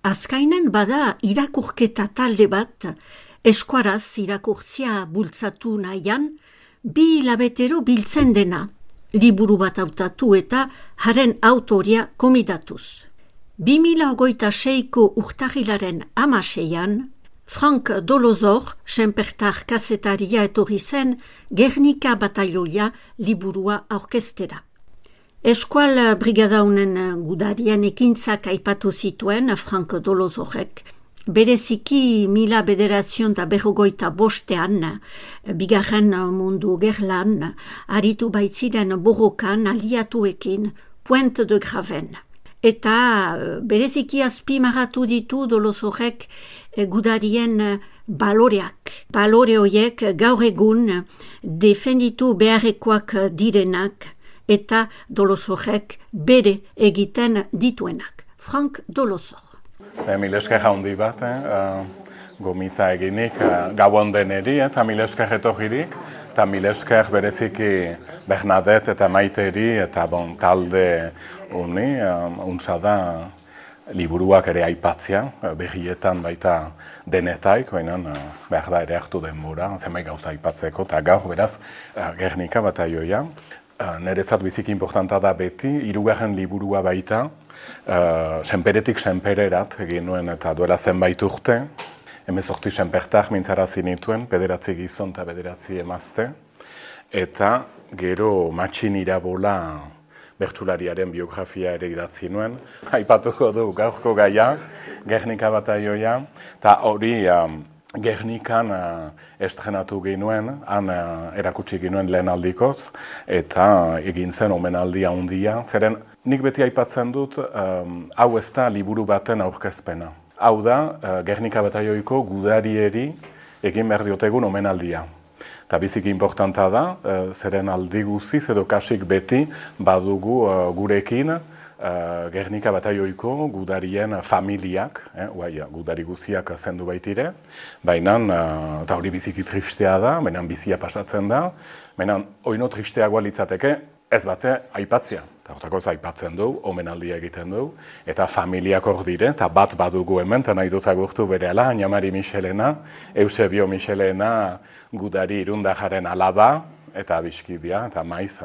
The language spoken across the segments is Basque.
Azkainen bada irakurketa talde bat, eskuaraz irakurtzia bultzatu nahian, 2 hilabetero biltzen dena, liburu bat hautatu eta haren autoria komidatuz. 2026ko urtahilaren 16an, Frank Dolozor, senpertar kazetaria etorri zen, Gernika batailoia liburua aurkeztera. Eskual brigadaunen gudarien ekintzak aipatu zituen Frank Dolozorek, bereziki 1945 bigarren mundu gerlan, aritu baitziren borrokan aliatuekin Pointe de Graven. Eta bereziki azpimarratu ditu Dolozorek gudarien baloreak. Balore horiek gaur egun defenditu beharrekoak direnak eta Dolozorek bere egiten dituenak. Frank Dolozor. Mil esker handi bat, gomita eginik gauan deneri eta mil esker etorririk, eta mil esker bereziki Bernadette eta Maiteri eta talde honi, untsa da liburuak ere aipatzea, berrietan baita denetaik, baina behar da ere hartu denbora, zenbait gauza aipatzeko, eta gaur beraz Gernika bataioia. Niretzat biziki importanta da beti, 3. liburua baita, senperetik senpererat egin nuen eta duela zenbait urte, 18 senpertak mintzarazi nituen, 9 gizon eta 9 emazte, eta gero Matxin Irabola bertsulariaren biografia ere idatzi nuen. Aipatuko du gaurko gaia, Gernika bataioia, eta hori Gernikan estrenatu ginuen, han erakutsi ginuen lehen aldikoz, eta egin zen omenaldia handia. Zeren nik beti aipatzen dut, hau ez da liburu baten aurkezpena. Hau da, Gernika bataioiko gudarieri egin behar diotegun omenaldia. Eta biziki importanta da, zeren aldi guziz edo kasik beti badugu gurekin Gernika bataioiko gudarien familiak, gudari guziak zendu baitire, baina, eta hori biziki tristea da, baina bizia pasatzen da, baina oino tristeagoa litzateke ez bate aipatzea. Eta hortakoz aipatzen du, omenaldia egiten du, eta familiak hor dire, eta bat badugu hemen, eta nahi dut agurtu berehala, Añamari Michelena, Eusebio Michelena gudari irundajaren alaba, eta abiskidea, eta maiz,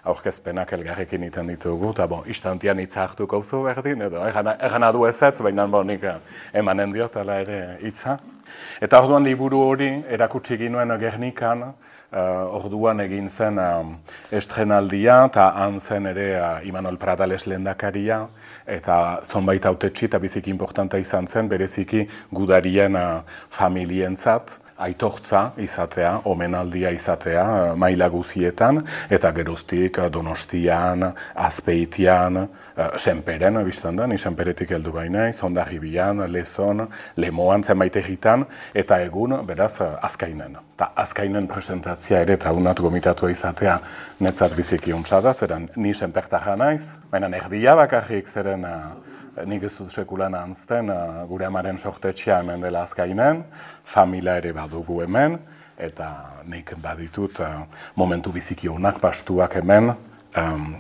aurkezpenak elgarrekin iten ditugu, eta istantian hitza hartuko zu berdin, edo ergana du ezetz, baina nik emanen diot, ala ere hitza. Eta orduan liburu hori erakutsi ginuen Gernikan, orduan egin zen estrenaldia, eta han zen ere Imanol Pradales lehendakaria, eta zonbait hautetsi eta biziki importanta izan zen, bereziki gudarien familientzat, aitortza izatea, omenaldia izatea, maila guzietan, eta geroztik Donostian, Azpeitian, Senperen, biztan da, ni Senperetik heldu bainaiz, Hondarribian, Lezon, Lemoan, zenbait egitan, eta egun, beraz, Azkainen. Eta Azkainen presentatzia ere, eta unat gomitatua izatea, netzat biziki untsa da, zeren ni Senpertarra naiz, baina erdia bakarrik zeren nik ez dut sekulan anzten, gure amaren sortetxea hemen dela Azkainen, familia ere badugu hemen, eta nik baditut momentu biziki onak pastuak hemen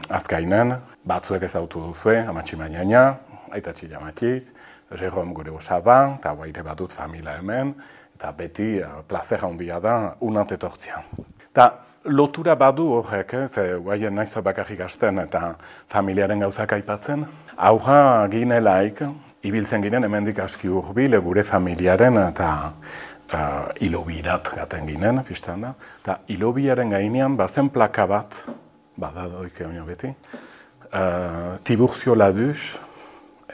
Azkainen, batzuek ezautu duzue, Amatxi Mañaña, Aitatxi Jamatxiz, Jerome gure osaba, eta baire badut familia hemen, eta beti plazer handia da unat etortzia. Eta lotura badu horrek, ze guaien naiz bakarrik hasten eta familiaren gauzak aipatzen, aurra ginelaik, ibiltzen ginen hemendik aski hurbil gure familiaren eta Ilobirat gaten ginen, pistan da. Eta Ilobiaren gainean bazen plaka bat, bada doik beti, Tiburcio Laduz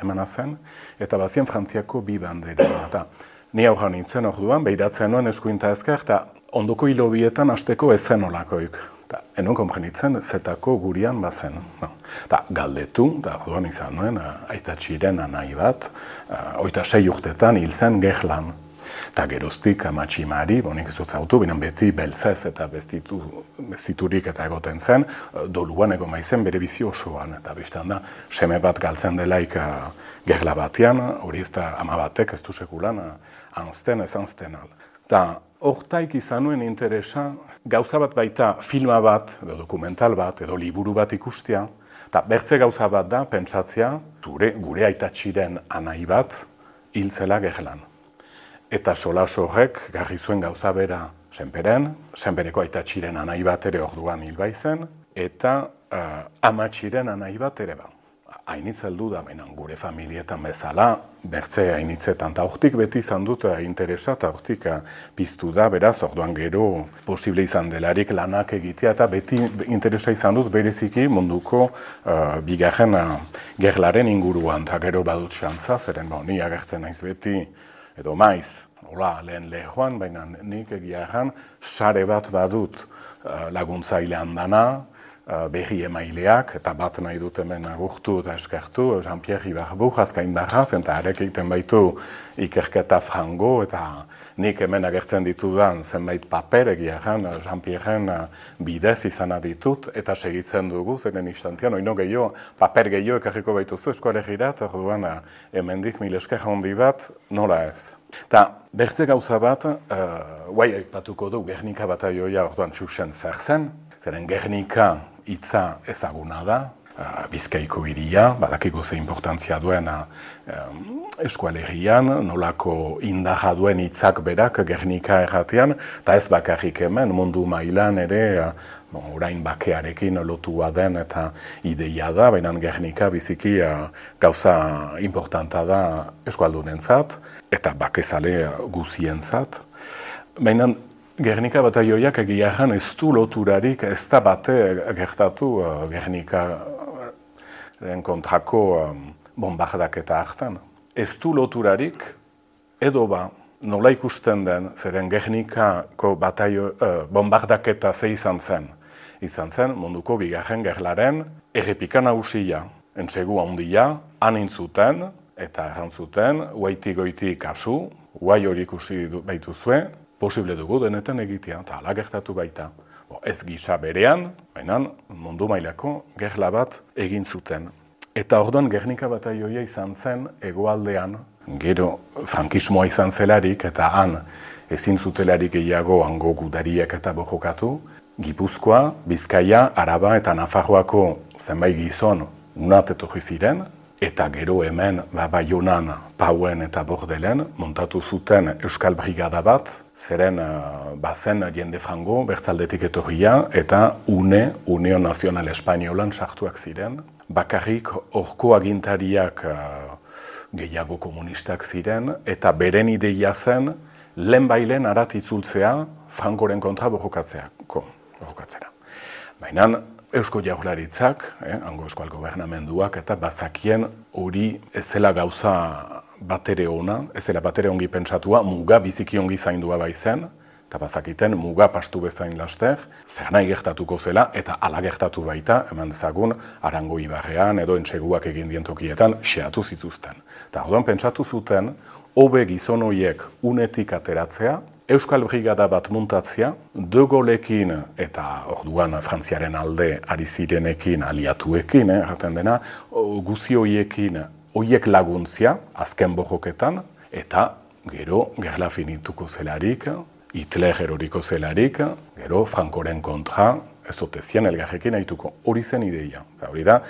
emana zen, eta bazien Frantziako 2 bandera. Eta ni aurra nintzen orduan, behiratzen nuen eskuinta ezker, eta ondoko Ilobietan hasteko ezen olakoik. Enon konprenitzen, zetako gurian bazen. Eta galdetu, eta orduan izan nuen, Aitatxiren anai bat, 26 urtetan hil zen Gerlan. Eta geroztik Amatxi Mari, nik ez dut zautu, binan beti beltzez eta bestiturik eta egoten zen, doluan egon maizen bere bizi osoan. Eta biztan da, seme bat galtzen delaik gerla batean, hori ez da ama batek ez du sekulan, anzten ez anzten al. Eta hortaik izan nuen interesa, gauza bat baita filma bat, edo dokumental bat, edo liburu bat ikustea, eta bertze gauza bat da, pentsatzea, gure Aitatxiren anai bat, hil zela gerlan. Eta solas horrek garri zuen gauza bera Senpereko aitatxiren anai bat ere orduan hil baizen, eta amatxiren anai bat ere ba. Hainitz heldu da, gure familietan bezala, bertze hainitzetan, eta hortik beti izan dut interesa, eta hortik piztu da, beraz, orduan gero posible izan delarik lanak egitea, eta beti interesa izan dut bereziki munduko bigarren gerlaren inguruan, eta gero badut xantza, zeren ni agertzen naiz beti, edo maiz, hola, lehen lehoan, baina nik egia erran, sare bat badut laguntzailean dana, berri emaileak, eta bat nahi dut hemen agurtu eta eskertu, Jean-Pierre Ibarbu, azkain darraz, eta arek egiten baitu ikerketa frango, eta nik hemen agertzen ditudan zenbait paper egia erran, Jean-Pierren bidez izana ditut, eta segitzen dugu, zeren instantian, oino gehiago, paper gehiago ekarriko baituzu eskualegirat, orduan hemendik mil esker handi bat, nola ez. Eta bertze gauza bat, guai aipatuko du, Gernika bataioia orduan txusen zer zen, zeren Gernika hitza ezaguna da, Bizkaiko hiria, badakiko ze importantzia duen eskualerian, nolako indarra duen hitzak berak Gernika erratean, eta ez bakarrik hemen, mundu mailan ere, orain bakearekin lotua den eta ideia da, baina Gernika biziki gauza importanta da eskualdunentzat, eta bakezale guzientzat. Baina Gernika bataioiak egia erran ez du loturarik, ez da bate gertatu Gernikaren kontrako bombardaketa hartan. Ez du loturarik, edo ba, nola ikusten den, zeren Gernikako bombardaketa ze izan zen munduko bigarren gerlaren errepika nagusia, entsegu handia, hanin zuten, eta erran zuten, goiti kasu, guai hori ikusi baituzue, posible dugu denetan egitea, eta ala gertatu baita. Ez gisa berean, baina mundu mailako gerla bat egin zuten. Eta orduan Gernika bataioia izan zen hegoaldean, gero frankismoa izan zelarik, eta han ezin zutelarik gehiago hango gudariek eta borrokatu, Gipuzkoa, Bizkaia, Araba eta Nafarroako zenbait gizon unat etorri ziren, eta gero hemen Baionan, Pauen eta Bordelen montatu zuten Euskal Brigada bat, zeren bazen jende frango bertzaldetik etorria eta Unión Nacional Espainolan sartuak ziren. Bakarrik horko agintariak gehiago komunistak ziren eta beren ideia zen lehenbailen arat itzultzea Frankoren kontra borrokatzera. Baina Eusko Jaurlaritzak, hango Euskal Gobernamenduak eta bazakien hori ez zela gauza batere ona, ez zela batere ongi pentsatua, muga biziki ongi zaindua baizen, eta bazakiten muga pastu bezain laster, zer nahi gertatuko zela, eta ala gertatu baita, eman dezagun, Arango Ibarrean edo entseguak egin dientokietan xeatu zituzten. Eta orduan pentsatu zuten, hobe gizon horiek unetik ateratzea, Euskal Brigada bat muntatzea, De Gaullekin eta orduan Frantziaren alde ari zirenekin, aliatuekin, erraten dena, guzi horiekin horiek laguntzia, azken borroketan, eta gero gerla finituko zelarik, Hitler eroriko zelarik, gero Frankoren kontra, ez otezian elgarrekin haituko. Hori zen ideia. Hori da,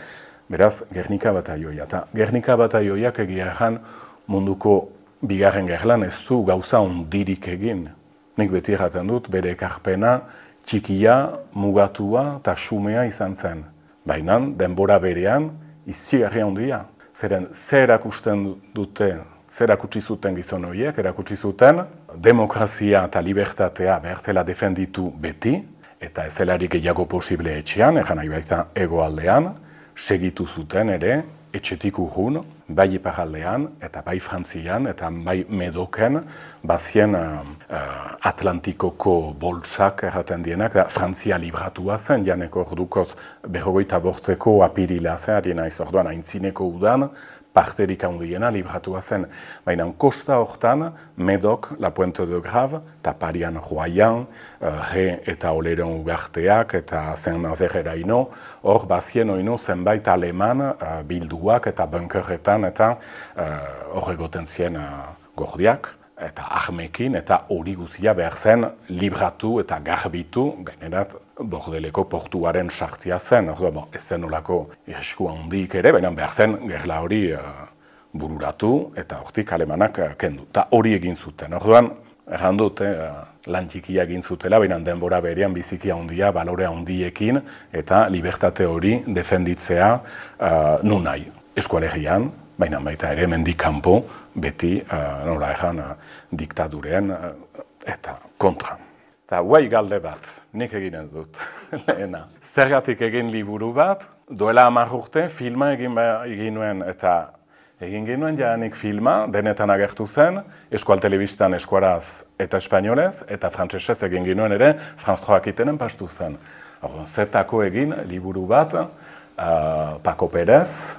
beraz, Gernika bataioia. Eta Gernika bataioiak egia erran munduko bigarren gerlan ez du gauza ondirik egin. Nik beti erraten dut, bere ekarpena txikia, mugatua eta xumea izan zen. Baina, denbora berean, izigarria ondia. Zeren, zer erakusten dute, zer erakutsi zuten gizon horiek, erakutsi zuten demokrazia eta libertatea behar zela defenditu beti, eta ez zelarik gehiago posible etxean, egan nahi baita hegoaldean, segitu zuten ere, etxetik urrun, bai iparaldean, eta bai Frantzian, eta bai Medoken, bazien Atlantikoko boltsak erraten dienak, Frantzia libratua zen, janeko ordukoz 48 apirila zen, ari naiz orduan aintzineko udan, parterik handiena libratua zen. Baina kosta hortan, Medok, La Pointe de Grave, eta Parian Royan, Re eta Oleron ugarteak, eta Saint-Nazaire-eraino, hor bazien oino zenbait aleman bilduak eta bunkerretan, eta hor egoten zien gordiak, eta armekin, eta hori guzia behar zen libratu eta garbitu, gainerat Bordeleko portuaren sartzia zen, ez zen olako irrisku handik ere, baina behar zen gerla hori bururatu eta hortik alemanak kendu. Ta hori egin zuten. Orduan, erran dut, lan txikia egin zutela, baina denbora berean biziki handia, balore handiekin eta libertate hori defenditzea nun nahi. Eskualegian, baina baita ere mendik kanpo beti nola erran diktaduren eta kontra. Eta guai galde bat, nik eginen dut, lehena. Zergatik egin liburu bat, duela 10 urte filma egin nuen eta egin genuen jaanik filma, denetan agertu zen, eskual telebistan eskuaraz eta espainolez, eta frantsesez egin genuen ere, Franz Joakitenen pastu zen. Zetako egin liburu bat, Paco Pérez,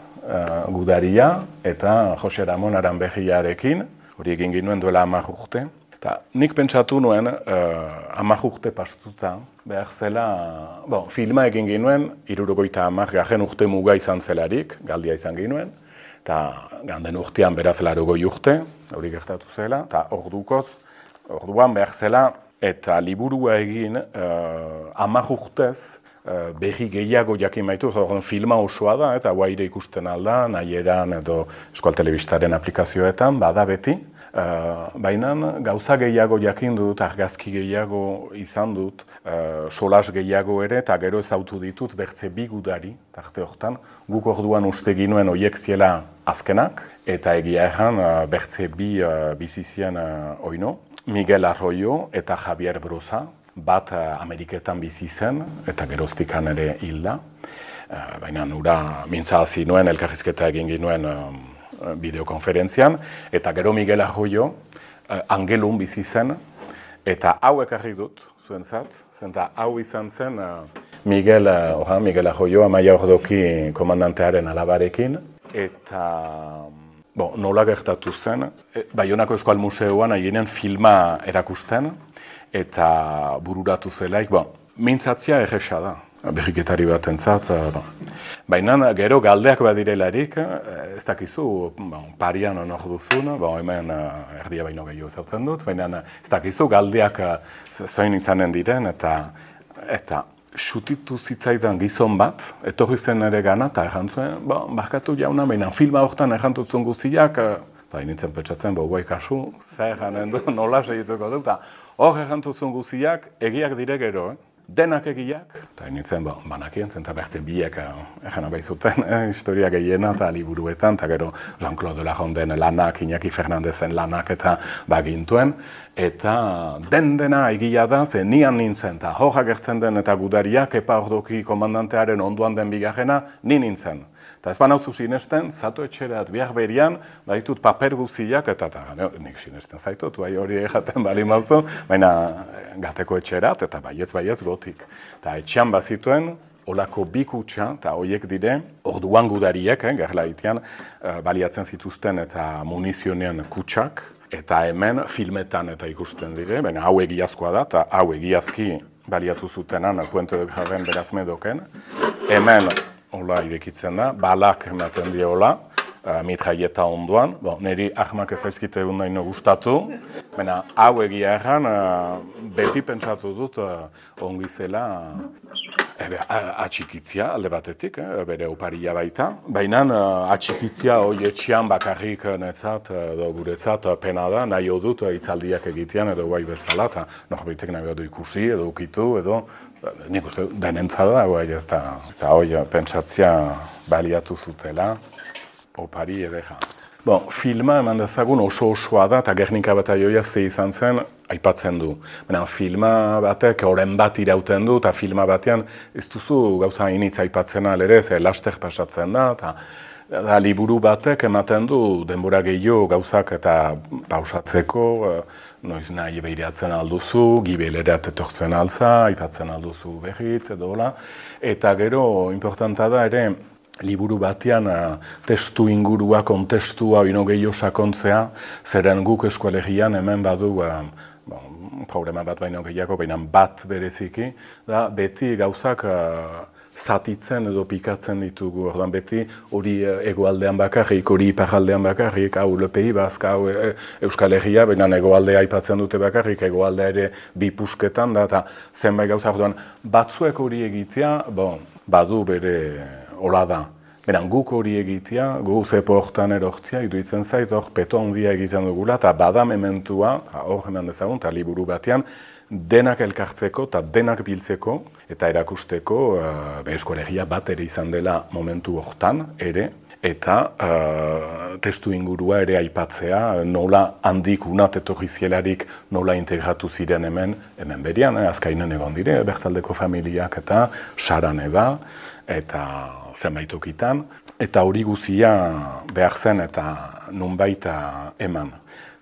Gudaria, eta Jose Ramon Aranberriarekin, hori egin genuen duela 10 urte. Eta nik pentsatu nuen, 10 urte pastuta, behar zela, filma egin genuen, 70 urte muga izan zelarik, galdia izan genuen, eta ganden urtean beraz 80 urte, hori gertatu zela, eta orduan behar zela, eta liburua egin 10 urtez berri gehiago jakin baitu, filma osoa da, eta guaire ikusten alda, nahieran edo eskual telebistaren aplikazioetan, bada beti, baina gauza gehiago jakin dut, argazki gehiago izan dut, solas gehiago ere, eta gero ezautu ditut bertze 2 gudari, tarte hortan, guk orduan uste ginuen oiek ziela azkenak, eta egia erran bertze 2 bizizien oino, Miguel Arroyo eta Javier Brosa, bat Ameriketan bizi zen, eta geroztikan ere hilda, baina nura mintzazi nuen, elkarrizketa egin ginuen bideokonferentzian, eta gero Miguel Arroyo Angelun bizi zen, eta hau ekarri dut, zuentzat, zenta hau izan zen Miguel Arroyo, Amaia Ordoki komandantearen alabarekin, eta nola gertatu zen, Baionako Eskual Museoan aienen filma erakusten, eta bururatu zelaik, mintzatzia erresa da. Berriketari bat entzat, baina gero galdeak badirelarik, ez dakizu, parian honor duzun, hemen erdia baino gehiago zautzen dut, baina ez dakizu galdeak zoin izanen diren, eta xutitu zitzaidan gizon bat, etorri zen ere gana, eta errantzuen, barkatu jauna, baina filma horretan errantutzen guziak, eta nintzen petsatzen, guai kasu, zer janen du, nola segituko dut, eta hor errantutzen guziak, egiak dire gero, denak egiak, eta nintzen banakien zen, eta bertze biek egana baizuten, historia gehiena eta liburuetan, eta gero Jean-Claude Lajonden lanak, Iñaki Fernandezen lanak eta bagintuen, eta dena egia da, ze nian nintzen, eta hor agertzen den eta Gudariak, Epa Ordoki komandantearen onduan den bigarrena, ni nintzen. Eta ez banauzu sinesten, zato etxerat bihar berian, baitut paper guziak, eta nik sinesten zaitut, hori egaten bali mauzu, baina gateko etxerat, eta baiez gotik. Eta etxean bazituen, olako 2 kutxa, eta horiek dire, orduan Gudariek, gerla itian, baliatzen zituzten eta munizionean kutsak, eta hemen filmetan eta ikusten dire, baina hau egiazkoa da, eta hau egiazki baliatu zutenan, Puente de Graven berazmedoken, hemen, hola irekitzen da, balak ematen diola, mitraieta onduan, niri ahmak ez aizkite egun nahi gustatu, baina hau egia erran, beti pentsatu dut ongi zela atxikitzia alde batetik, bere oparia baita, baina atxikitzia hoi etxean bakarrik netzat, edo guretzat pena da, nahi dut hitzaldiak egitean edo guai bezala, eta norbitek nahi du ikusi edo ukitu edo, nik uste denentza da, eta hoi pentsatzia baliatu zutela, opari edera. Filma eman dezagun oso-osoa da, eta Gernika Bataioia ze izan zen, aipatzen du. Filma batek oren bat irauten du, eta filma batean ez duzu gauza initz aipatzen alere, ze laster pasatzen da, eta liburu batek ematen du denbora gehiago gauzak eta pausatzeko, noiz nahi behiratzen alduzu, gibelerat etortzen altza, aipatzen alduzu berriz, edo hola. Eta gero, importanta da ere, liburu batean testu ingurua, kontestua, ino gehiago sakontzea, zeren guk eskualegian hemen badu problema bat baino gehiago, baina bat bereziki, da beti gauzak zatitzen edo pikatzen ditugu, orduan beti hori egoaldean bakarrik, hori iparaldean bakarrik, hau lepei bazka, hau Euskal Herria, baina egoaldea aipatzen dute bakarrik, egoaldea ere 2 pusketan da, eta zenbait gauza, orduan batzuek hori egitea, badu bere hola da, Beran, guk hori egitea, gu zepo hortan erortzia, iruditzen zait, hor peto handia egiten dugula, eta bada mementua, hor eman dezagun, eta liburu batean, denak elkartzeko eta denak biltzeko, eta erakusteko eskolegia bat ere izan dela momentu hortan ere, eta testu ingurua ere aipatzea, nola handik unat etorri zielarik nola integratu ziren hemen berian, azkainen egon dire, Bertzaldeko familiak eta Saran eba, eta zenbaitokitan, eta hori guzia behar zen eta nunbait eman.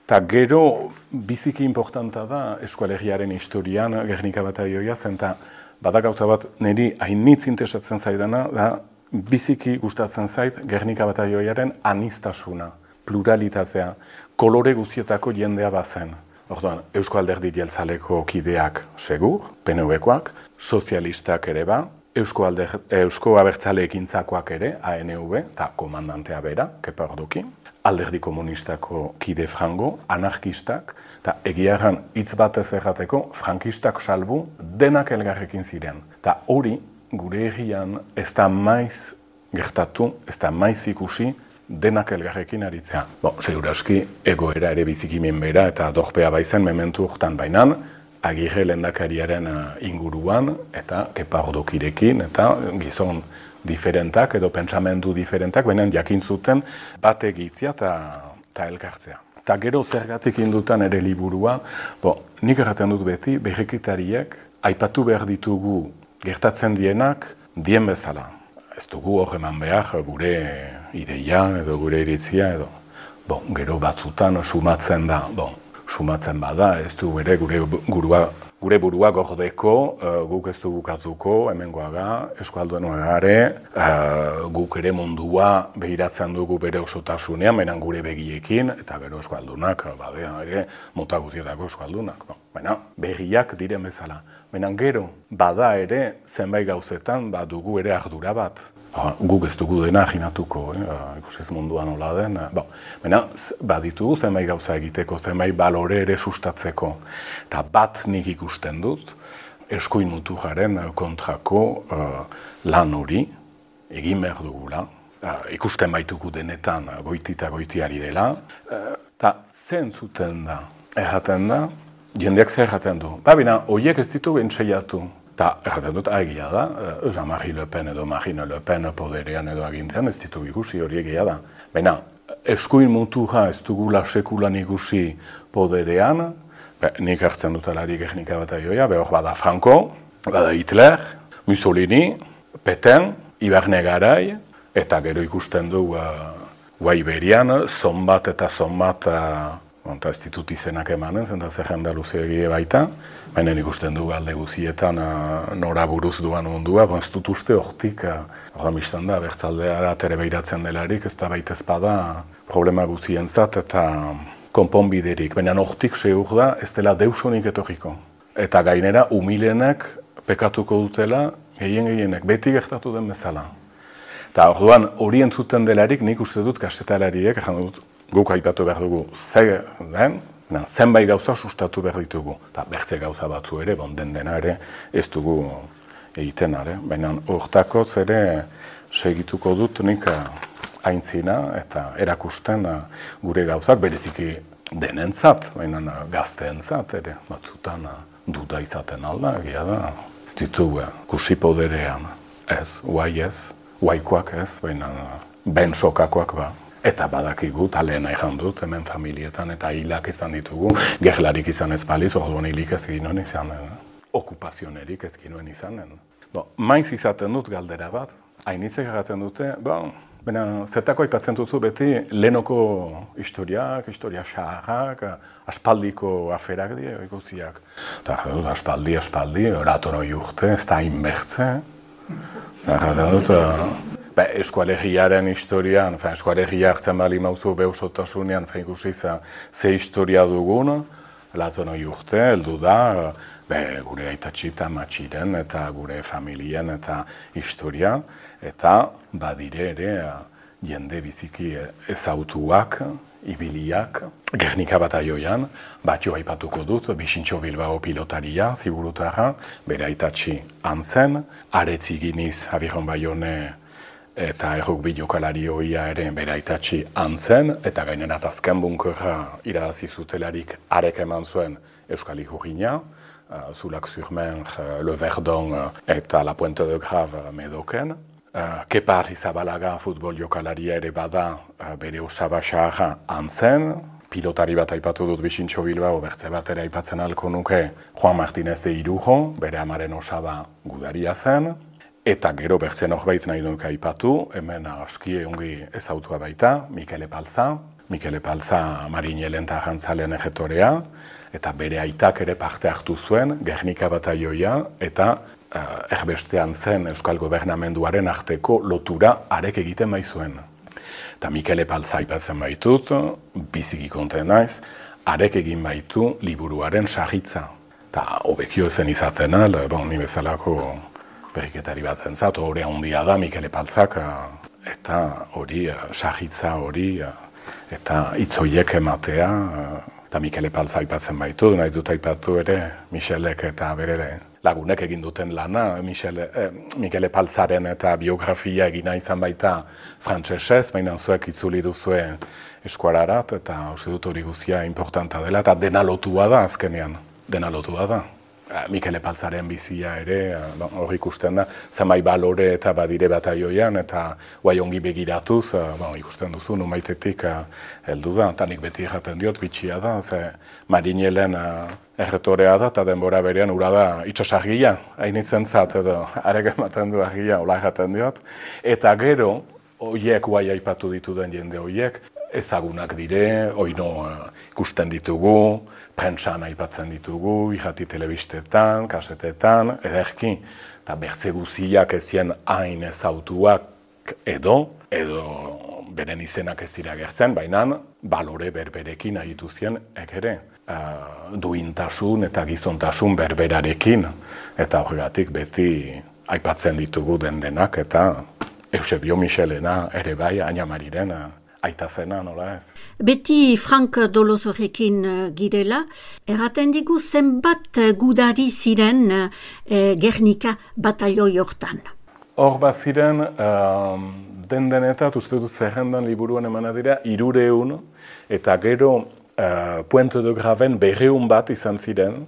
Eta gero, biziki importanta da eskolegiaren historian Gernika Bataioia zen, eta bada gauza bat niri hainitz interesatzen zaidana, da biziki gustatzen zait Gernika Bataioiaren aniztasuna, pluralitatea, kolore guztietako jendea bazen. Orduan, Eusko Alderdi Jeltzaleko kideak segur, PNV-koak, sozialistak ere ba, Eusko Abertzale ekintzakoak ere, ANV, eta komandantea bera, Kepa Orduki, Alderdi Komunistako kide frango, anarkistak, eta egiaran hitz batez errateko, frankistak salbu denak elgarrekin ziren. Eta hori, gure herrian ez da maiz gertatu, ez da maiz ikusi denak elgarrekin aritzea. Seguraski, egoera ere bizikimen bera eta dorpea baizen mementu hortan bainan, Agirre lehendakariaren inguruan eta Kepa Ordukirekin eta gizon diferentak edo pentsamendu diferentak, baina jakin zuten bat egitzea eta elkartzea. Eta gero zergatik indutan ere liburua, nik erraten dut beti, berrikitariek aipatu behar ditugu gertatzen dienak dien bezala. Ez dugu hor eman behar gure ideia edo gure iritzia edo. Gero batzutan sumatzen da, sumatzen bada, ez du ere gure burua gordeko, guk ez du bukatuko, hemengoaga, eskualduenoagare, guk ere mundua behiratzen dugu bere osotasunean, baina gure begiekin, eta gero eskualdunak, badea ere, mota guztietako eskualdunak. Baina begiak diren bezala. Baina gero, bada ere, zenbait gauzetan, dugu ere ardura bat. Guk ez dugu dena aginatuko, ikusiz munduan nola den. Baina baditugu zenbait gauza egiteko, zenbait balore ere sustatzeko. Eta bat nik ikusten dut, eskuin muturraren kontrako lan hori egin behar dugula. Ikusten baitugu denetan goiti eta goitiari dela. Eta zen zuten da, erraten da, jendeak zer erraten du. Baina, horiek ez ditugu entzeiatu. Eta erraten dut, egia da, Jean-Marie Le Pen edo Marine Le Pen poderean edo agintean ez ditugu ikusi hori egia da. Baina, eskuin muturra ez dugula sekulan ikusi poderean, nik hartzen dut alari Gernika Bataioia, hor bada Franco, bada Hitler, Mussolini, Petain, Iberne Garai, eta gero ikusten du Iberian, zonbat eta zonbat, ez ditut izenak emanen, zenta zerrenda luzeegie baita, baina ikusten du alde guzietan nora buruz duan mundua, ez dut uste hortik, horren biztan da, Bertzaldeara tere behiratzen delarik, ez da baita ezpada problema guzientzat eta konponbiderik, baina hortik segur da ez dela deusonik etorriko. Eta gainera, humilenek pekatuko dutela, gehienek, beti gertatu den bezala. Eta orduan, hori entzuten delarik, nik uste dut kasetalariek, guk aipatu behar dugu zer den, zenbait gauza sustatu behar ditugu. Eta bertze gauza batzu ere, den dena ere, ez dugu egiten ere. Baina hortakoz ere segituko dut nik aintzina eta erakusten gure gauzak, bereziki denentzat, baina gazteentzat ere, batzutan duda izaten alda, egia da. Ez ditugu kusi poderean, ez, guaikoak ez, baina ben sokakoak ba. Eta badakigu, talen nahi dut, hemen familietan eta hilak izan ditugu, gerlarik izan ez baliz, orduan hilik ez ginoen izanen, okupazionerik ez ginoen izanen. Maiz izaten dut galdera bat, hainitzek erraten dute, baina zetako aipatzen duzu beti lehenoko historia xaharrak, aspaldiko aferak dira, ikusiak. Aspaldi, oratonoi urte, ez da inbertze. Erraten dut, eskualegiaren historian, eskualegia hartzen bali mauzu beusotasunean, ikusi ze historia dugun, latonoi urte, heldu da, gure aitatxita matxiren eta gure familien eta historia, eta badire ere jende biziki ezautuak, ibiliak, Gernika Bataioian, batio aipatuko dut, Bixintxo Bilbao pilotaria, ziburutarra, bere aitatxi antzen, Aretziginiz Abiron Baione eta errugbi jokalari hoia ere bere aitatxi antzen, eta gainerat azken bunkerra irabazi zutelarik arek eman zuen Euskal Ikurriña, Soulac-sur-Mer, Le Verdon eta La Pointe de Grave Medoken. Kepa Arrizabalaga futbol jokalaria ere bada bere osaba xaharra antzen, pilotari bat aipatu dut Bixintxo Bilbao, bertze bat ere aipatzen alko nuke Juan Martínez de Irujo, bere amaren osaba gudaria zen, eta gero bertze norbait nahi nuke aipatu, hemen aski ongi ezautua baita, Mikel Epalza. Mikel Epalza Marinelen eta Jantzalen egetorea, eta bere aitak ere parte hartu zuen, Gernika bataioia, eta erbestean zen Euskal Gobernamenduaren arteko lotura arek egiten baizuen. Eta Mikel Epalza aipatzen baitut, biziki konten naiz, arek egin baitu liburuaren sagitza. Eta hobekio zen izaten ni bezalako berriketari bat entzat, hori handia da Mikel Epalzak, eta hori sagitza hori, eta hitzoiek ematea, eta Mikel Epalza aipatzen baitu, nahi dut aipatu ere Michelek eta bere lagunek egin duten lana, Mikel Epalzaren eta biografia egina izan baita frantsesez, baina zuek itzuli duzue eskuararat, eta uste dut hori guztia importanta dela, eta dena lotua da azkenean, dena lotua da. Mikel Epalzaren bizia ere, hor ikusten da, zenbait balore eta badire bataioian, eta guai ongi begiratuz, ikusten duzu, numaitetik heldu da, eta nik beti erraten diot, bitxia da, ze Marinelen erretorea da, eta denbora berean ura da itxosargia, hain izen zat, edo arek ematen du argia, hola erraten diot, eta gero, hoiek guai aipatu dituden jende hoiek, ezagunak dire, oino ikusten ditugu, prentsan aipatzen ditugu, irrati telebistetan, kasetetan, ederki, eta bertze guziak ezien hain ezautuak edo beren izenak ez dira gertzen, baina balore berberekin ahitu zien ere. Duintasun eta gizontasun berberarekin, eta horregatik beti aipatzen ditugu denak, eta Eusebio Michelena ere bai, Aina Mariren, aita zena, nola ez? Beti Frank Dolosorekin girela, erraten digu zenbat gudari ziren Gernika batalioi hortan. Hor bat ziren, denetat, uste dut zerrendan liburuan emana dira, 300, eta gero Pointe de Graven 200 bat izan ziren,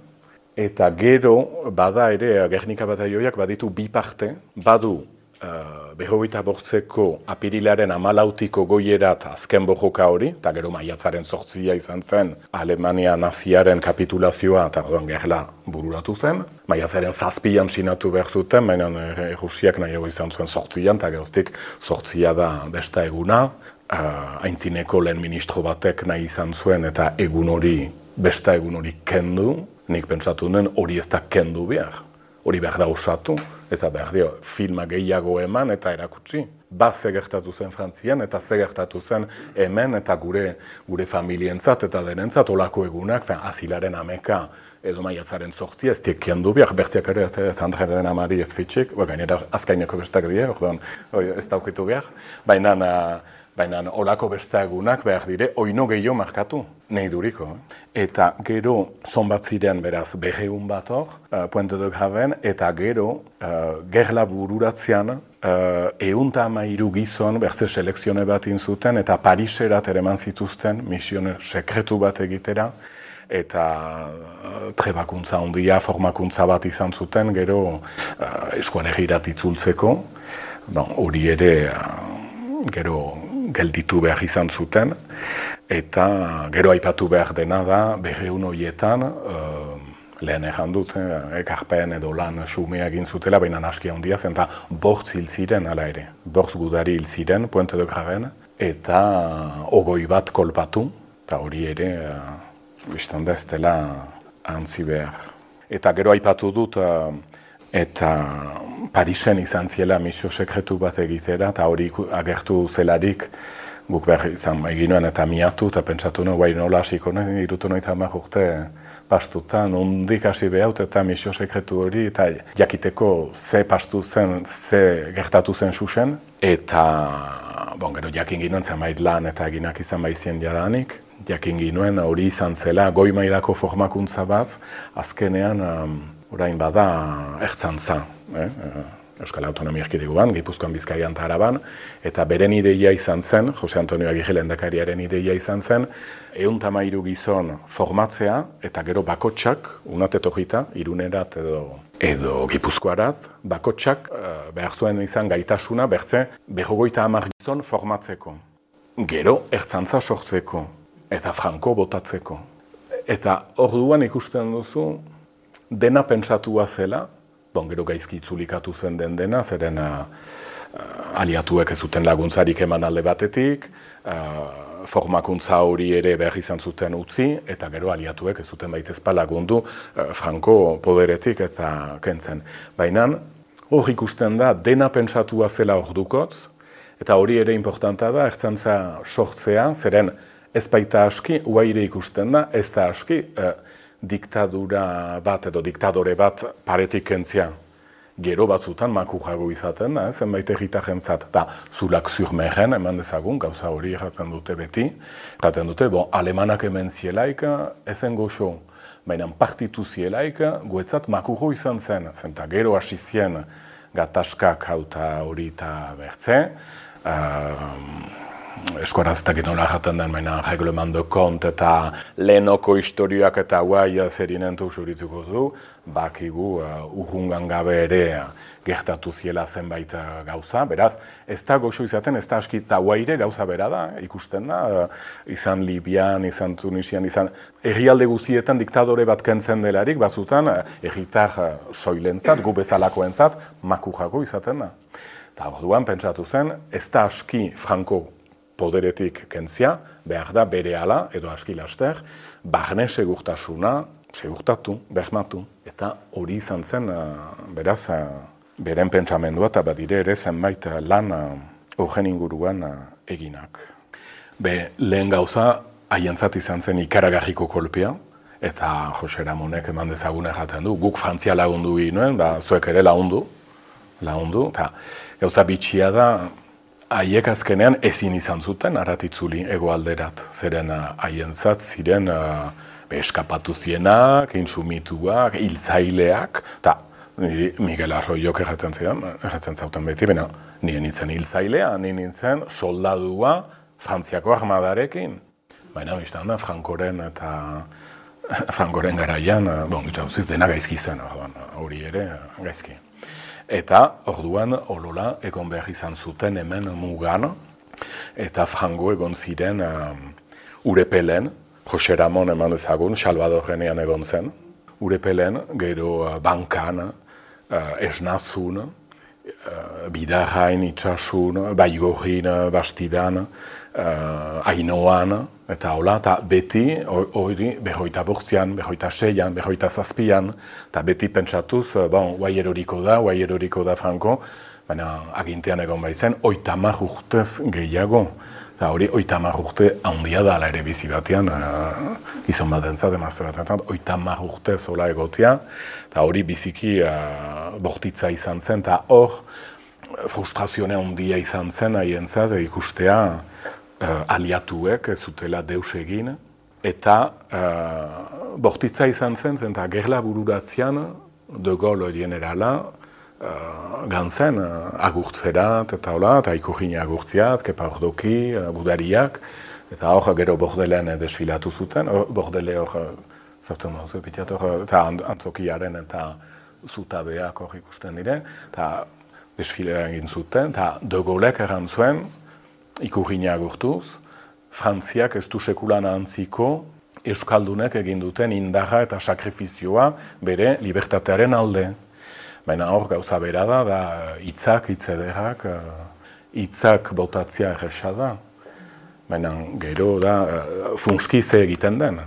eta gero bada ere Gernika batalioiak baditu bi parte, badu 28ko apirilaren 14ko goierat azken borroka hori, eta gero maiatzaren 8 izan zen Alemania naziaren kapitulazioa eta gerla bururatu zen. Maiatzaren 7an sinatu behar zuten, baina Rusiak nahiago izan zuen 8an, eta geroztik 8 da besta eguna. Aintzineko lehen ministro batek nahi izan zuen eta egun hori, besta egun hori kendu, nik pentsatu nuen hori ez da kendu behar. Hori behar da osatu, eta behar dio, filma gehiago eman eta erakutsi. Ze gertatu zen Frantzian eta ze gertatu zen hemen eta gure familientzat eta denentzat olako egunak, azilaren ameka edo maiatzaren 8 ez diek du behar, bertiak ere ez Andreren amari ez fitxik, gainera azkaineko bestak die, ez daukitu behar, baina olako besta egunak behar dire, oino gehiago markatu, nahi duriko. Eta gero, zonbat ziren beraz, 200 bat hor, Pointe de Graven, eta gero, gerla bururatzean, 113 gizon, bertze selekzione bat inzuten, eta Pariserat ere eman zituzten, misione sekretu bat egitera, eta trebakuntza handia, formakuntza bat izan zuten, gero eskualegirat itzultzeko, hori ere, gero, gelditu behar izan zuten, eta gero aipatu behar dena da, 200 horietan, lehen erran dut, ekarpen edo lan sumea egin zutela, baina aski handia zen, eta 8 hil ziren, ala ere, 8 gudari hil ziren, Pointe de Graven, eta 20 bat kolpatu, eta hori ere, biztan da ez dela antzi behar. Eta gero aipatu dut, eta Parisen izan ziela misio sekretu bat egitera, eta hori agertu zelarik guk behar izan eginoen eta miatu, eta pentsatu nuen, guai nola hasiko nuen, irutu noita 10 urte pastuta, nondik hasi behaut eta misio sekretu hori, eta jakiteko ze pastu zen, ze gertatu zen susen, eta gero jakin ginoen zenbait lan eta eginak izan baizien jadanik, jakin ginoen hori izan zela goi mailako formakuntza bat, azkenean orain bada ertzantza, Euskal Autonomia Erkidegoan, Gipuzkoan, Bizkaian eta Araban, eta beren ideia izan zen, Jose Antonio Agirre lehendakariaren ideia izan zen, 113 gizon formatzea, eta gero bakotsak, unat etorrita, Irunerat edo Gipuzkoarat, bakotsak behar zuen izan gaitasuna, bertze, 50 gizon formatzeko. Gero, ertzantza sortzeko, eta franko botatzeko. Eta orduan ikusten duzu, dena pentsatua zela, gero gaizki itzulikatu zen dena, zeren aliatuek ez zuten laguntzarik eman alde batetik, formakuntza hori ere behar izan zuten utzi, eta gero aliatuek ez zuten baitezpa lagundu franko poderetik eta kentzen. Baina hor ikusten da, dena pentsatua zela ordukotz, eta hori ere importanta da, ertzantza sortzea, zeren ez baita aski, uaire ikusten da, ez da aski, diktadura bat edo diktadore bat paretik kentzia. Gero batzutan makujago izaten da, zenbait erritarentzat. Da, zulak zurmeren eman dezagun, gauza hori erraten dute beti. Erraten dute, alemanak hemen zielaik, ezen goxo, baina partitu zielaik, guetzat makujo izan zen. Zenta gero hasi zien gatazkak hauta hori eta bertze. Eskuaraz eta ginola jaten den, baina reglement de compte eta lehenoko historiak eta guai zerinentu zurituko du, bakigu urrungan gabe ere gertatu ziela zenbait gauza, beraz, ez da goxo izaten, ez da aski eta guaire gauza bera da, ikusten da, izan Libian, izan Tunisian, izan herrialde guztietan diktadore bat kentzen delarik, batzutan herritar soilentzat, gu bezalakoentzat, makujago izaten da. Eta orduan pentsatu zen, ez da aski franko poderetik kentzia, behar da bere ala, edo aski laster, barne segurtasuna, segurtatu, bermatu. Eta hori izan zen, beraz, beren pentsamendua eta badire ere zenbait lan horren inguruan eginak. Lehen gauza, haientzat izan zen ikaragarriko kolpea, eta Jose Ramonek eman dezagun erraten du, guk Frantzia lagundu ginoen, zuek ere lagundu, eta gauza bitxia da, haiek azkenean ezin izan zuten aratitzuli egoalderat, zeren haientzat ziren eskapatu zienak, insumituak, hiltzaileak, eta Miguel Arroyok erraten zauten beti, baina nire nintzen hiltzailea, nire nintzen soldadua Frantziako armadarekin. Baina biztan da, Frankoren garaian, gitxauziz, dena gaizki zen, hori ere gaizki. Eta orduan olola egon behar izan zuten hemen mugan, eta Frango egon ziren Urepelen, Jose Ramon eman dezagun, Salvadorrenean egon zen, Urepelen, gero Bankan, Esnazun, Bidarrain, Itxasun, Baigorrin, Bastidan, Ainoan, eta hola, eta beti, hori, 28an, 26an, 27an, eta beti pentsatuz, guai eroriko da Franco, baina agintean egon baizen, 30 urtez gehiago. Eta hori, 30 urte handia da ala ere bizi batean, gizon batentzat, emazte batentzat, 30 urte zola egotea, eta hori biziki bortitza izan zen, eta hor, frustrazione handia izan zen, haientzat, ikustea, aliatuek ez zutela deus egin, eta bortitza izan zen, eta gerla bururatzean, de Gaulle generala, gantzen agurtzerat, eta hola, eta ikurgine agurtziat, Kepa Ordoki, Gudariak, eta hor gero bordelean desfilatu zuten, bordele hor, zerten dauz, eta antzokiaren eta zutabeak hor ikusten dire, eta desfilea egin zuten, eta de Gaulek erran zuen, ikurgine agurtuz, Frantziak ez du sekulan antziko euskaldunek egin duten indarra eta sakrifizioa bere libertatearen alde. Baina hor gauza bera da hitzak, hitz ederrak, hitzak botatzea erresa da. Baina gero da funskize egiten den.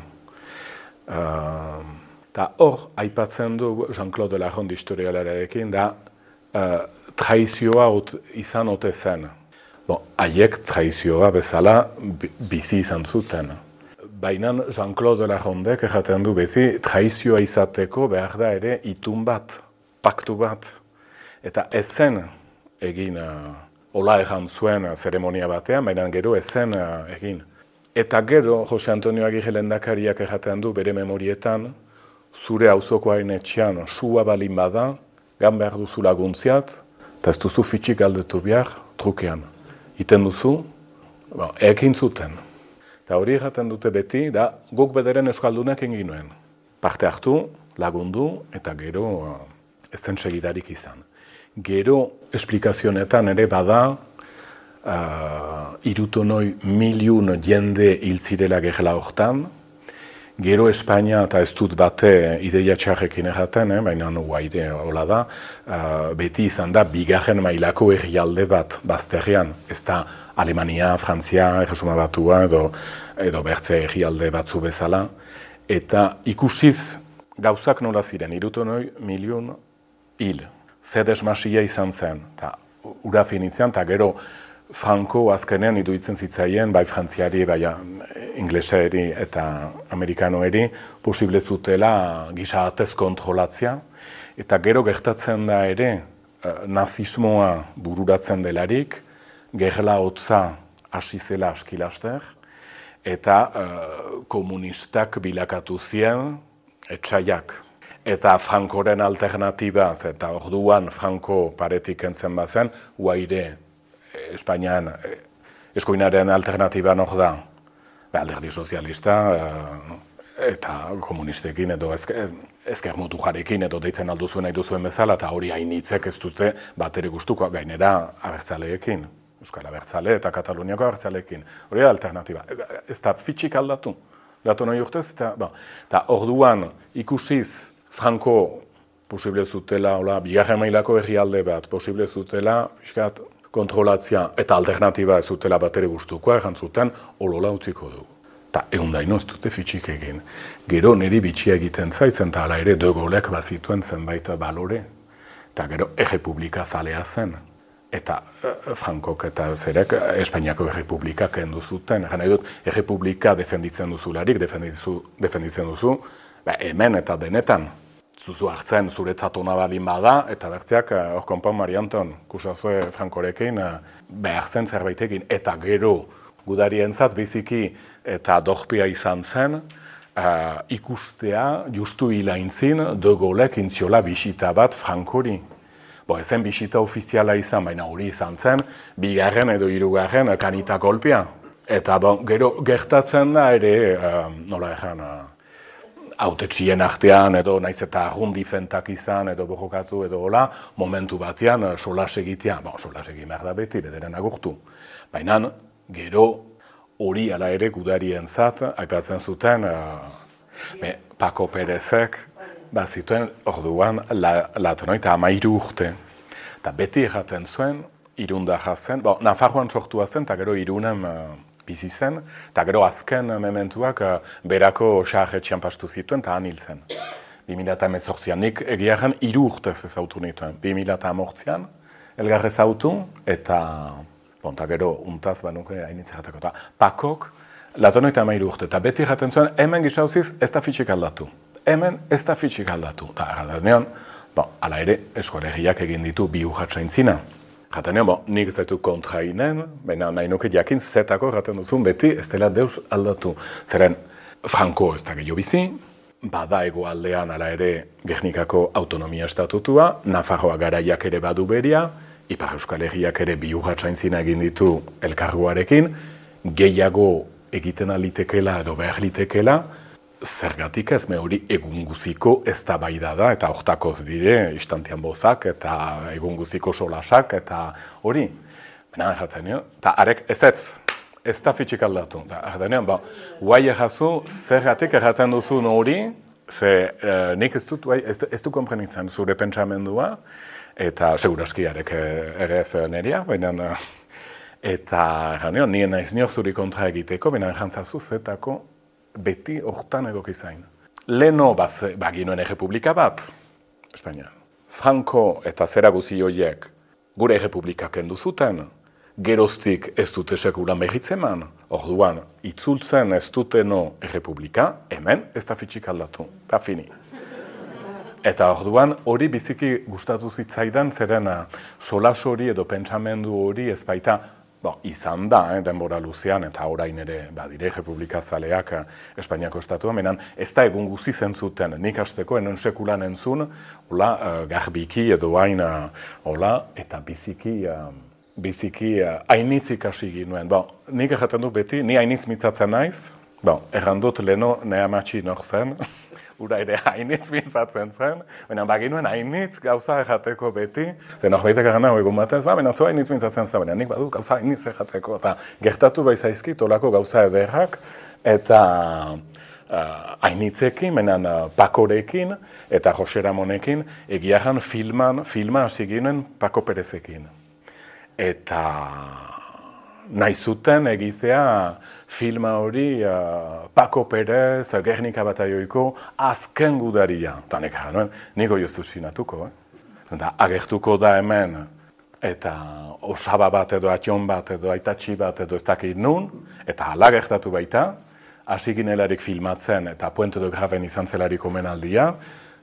Eta hor, aipatzen du Jean-Claude Laronde historialarekin, da traizioa izan ote zen. Haiek traizioa bezala bizi izan zuten. Baina Jean-Claude Larondek erraten du beti, traizioa izateko behar da ere itun bat. Paktu bat, eta ezen egin, hola egan zuen zeremonia batean, baina gero ezen egin. Eta gero, Jose Antonio Agirre lehendakariak erraten du bere memorietan, zure auzokoaren etxean sua balin bada, gan behar duzu laguntziat, eta ez duzu fitxik galdetu behar trukean. Iten duzu, ekin zuten. Eta hori erraten dute beti, da guk bederen euskaldunak egin nuen. Parte hartu, lagundu, eta gero ez zen segidarik izan. Gero esplikazionetan ere bada, irutonoi miliun jende hil zirela gerla hortan, gero Espainia, eta ez dut bate ideia txarrekin erraten, baina guaire hola da, beti izan da bigarren mailako herrialde bat bazterrean. Ez da Alemania, Frantzia, Erresuma Batua edo bertze herrialde batzu bezala. Eta ikusiz gauzak nola ziren, irutonoi miliun hil. Zer desmasia izan zen, eta ura finitzean, eta gero Franco azkenean iduitzen zitzaien, bai frantziari, bai ingleseri eta amerikanoeri, posible zutela gisa atez kontrolatzea. Eta gero gertatzen da ere, nazismoa bururatzen delarik, gerla hotza hasi zela askilaster, eta komunistak bilakatu zien etxaiak. Eta Francoren alternatiba, eta orduan Franco paretik entzen bazen, guaire Espainian eskoinaren alternatiban hor da, alderdi sozialista eta komunistekin edo ezker mutu jarekin edo deitzen alduzuen nahi duzuen bezala, eta hori hainitzek ez dute bat ere gustuko, gainera abertzaleekin, Euskal Abertzale eta Kataluniako abertzaleekin. Hori da alternatiba. Ez da fitxik aldatu nahi urtez, eta orduan ikusiz Franco posible zutela, bigarren mailako herrialde bat, posible zutela, kontrolatzea eta alternatiba ez zutela bat ere gustukoa, egan zuten, olola utziko dugu. Eta egundaino ez dute fitxik egin. Gero niri bitxia egiten zaitzen, eta hala ere De Gaulek bazituen zenbait balore. Eta gero errepublika zalea zen. Eta Frankok eta zerek Espainiako errepublika kendu zuten. Egan nahi dut, errepublika defenditzen duzularik, defenditzen duzu, hemen eta denetan. Zuzu hartzen zuretzat ona balin bada, eta bertzeak, hor konpon Mari Anton, kusazue Frankorekin, behar zen zerbaitekin, eta gero gudarientzat biziki eta dorpia izan zen, ikustea justu hilaintzin De Gaulek intziola bisita bat Frankori. Ezen bisita ofiziala izan, baina hori izan zen, bigarren edo hirugarren kanita kolpia. Eta gero gertatzen da ere, nola egan, hautetxien artean edo naiz eta arrundifentak izan edo borrokatu edo hola, momentu batean solas egitea, solas egin behar da beti, bederen agurtu. Baina gero hori ala ere gudarientzat aipatzen zuten Paco Perezek bazituen orduan latonoi eta 13 urte. Eta beti erraten zuen, Irunda jazen, Nafarroan sortua zen eta gero Irunen bizi zen, eta gero azken mementuak berako xarretxean pastu zituen eta han hil zen. 2018an, nik egiaren 3 urtez ezautu nituen. 2018an, elgarrez ezautu, eta gero untaz banuke hainitzatako. Eta Pakok, latonoi eta 13 urte, eta beti erraten zuen, hemen gizauziz ez da fitxik aldatu. Hemen ez da fitxik aldatu. Eta erraten ala ere, eskolegiak egin ditu bi urratsaintzina. Jaten nik ez daitu kontrainen, baina nahi nuke jakin zetako erraten duzun beti ez dela deus aldatu. Zeren, Franco ez da gehiago bizi, bada hegoaldean ala ere Gernikako autonomia estatutua, Nafarroa garaiak ere badu beria, Ipar Euskal Herriak ere bi urratsaintzina egin ditu elkarguarekin, gehiago egiten alitekela edo behar litekela, zergatik ez, hori egun guziko eztabaida da, eta hortakoz dire, istantean bozak, eta egun guziko solasak, eta hori. Baina erraten, eta arek ez da fitxik aldatu. Erraten, guai errazu, zergatik erraten duzun hori, nik ez du konprenitzen zure pentsamendua, eta seguraski arek ere ez neria, baina, eta erraten, nien naiz niok zuri kontra egiteko, baina errantzazu zetako, beti hortan egoki zain. Leno baginuen errepublika bat, Espainia. Franco eta zera guzi horiek gure errepublikak kendu zuten, geroztik ez dute sekulan behitzeman, orduan itzultzen ez duteno errepublika, hemen ez da fitxik aldatu, eta fini. Eta orduan hori biziki gustatu zitzaidan zerena solas hori edo pentsamendu hori ez baita izan da, denbora luzean, eta orain ere, badire Republika Zaleak Espainiako estatua, menan ez da egun guzi zentzuten, nik hasteko enon sekulan entzun, garbiki edo hain, eta biziki hainitzik hasi ginuen. Nik erraten dut beti, ni hainitz mitzatzen naiz, errandut leheno nehamatxi nor zen, ura ere hainitz mintzatzen zen, baina baginuen hainitz gauza errateko beti, zen horbaitek egana egun batez, baina zu hainitz mintzatzen zen, baina nik badu gauza hainitz errateko, eta gertatu baizaizkit olako gauza ederrak, eta hainitzekin, baina Pakorekin, eta Jose Ramonekin, egiaran filma hasi ginen Pako Perezekin. Eta nahi zuten egitea filma hori Pako Perez, Gernika Bataioiko azken gudaria. Eta nik gara, niko joztu sinatuko. Eta agertuko da hemen, eta osaba bat edo ation bat edo aitatxi bat edo ez dakit nun, eta hala gertatu baita, hasi ginelarik filmatzen eta Puente de Graven izan zelarik omenaldia,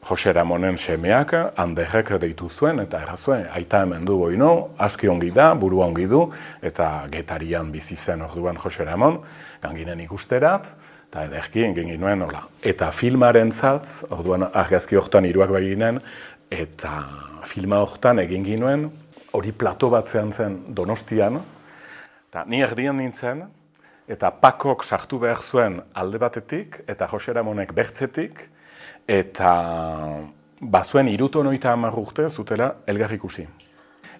Jose Ramonen semeak handerrek deitu zuen, eta errazuen, aita hemen du boino, aski ongi da, burua ongi du, eta Getarian bizi zen orduan Jose Ramon, ganginen ikusterat, eta ederki egin ginuen, hola. Eta filmaren zatz, orduan argazki hortan hiruak baginen, eta filma hortan egin ginuen, hori plato bat zen Donostian, eta ni erdian nintzen, eta Pakok sartu behar zuen alde batetik, eta Jose Ramonek bertzetik, eta bazuen 70 urte zutela elgar ikusi.